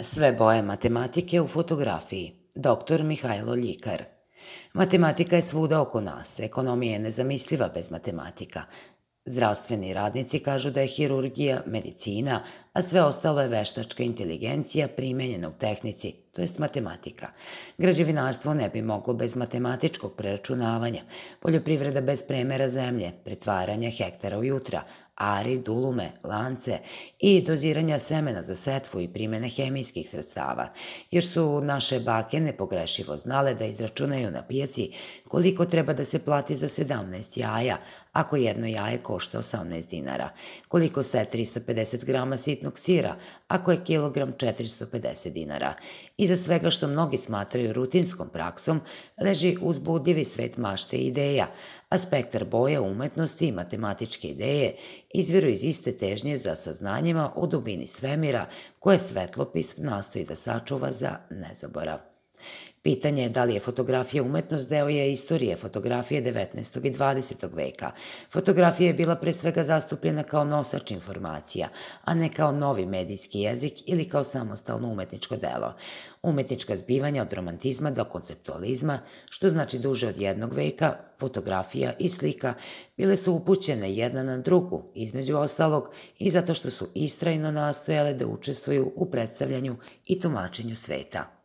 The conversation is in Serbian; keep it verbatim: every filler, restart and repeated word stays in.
Sve boje matematike u fotografiji. doktor Mihajlo Ljikar. Matematika je svuda oko nas. Ekonomija je nezamisliva bez matematika. Zdravstveni radnici kažu da je hirurgija medicina, a sve ostalo je veštačka inteligencija primenjena u tehnici, to jest matematika. Građevinarstvo ne bi moglo bez matematičkog preračunavanja, poljoprivreda bez premera zemlje, pretvaranja hektara u jutra, ari, dulume, lance i doziranja semena za setvu i primene hemijskih sredstava, jer su naše bake nepogrešivo znale da izračunaju na pijaci koliko treba da se plati za sedamnaest jaja, ako jedno jaje košta osamnaest dinara, koliko staje trista pedeset grama sitnog sira, ako je kilogram četiristo pedeset dinara. Iza svega što mnogi smatraju rutinskom praksom leži uzbudljivi svet mašte i ideja, a spektar boja umetnosti i matematičke ideje izviru iz iste težnje za saznanjima o dubini svemira koje svetlopis nastoji da sačuva za nezaborav. Pitanje je da li je fotografija umetnost deo je istorije fotografije devetnaestog i dvadesetog veka. Fotografija je bila pre svega zastupljena kao nosač informacija, a ne kao novi medijski jezik ili kao samostalno umetničko delo. Umetnička zbivanja od romantizma do konceptualizma, što znači duže od jednog veka, fotografija i slika bile su upućene jedna na drugu, između ostalog i zato što su istrajno nastojale da učestvuju u predstavljanju i tumačenju sveta.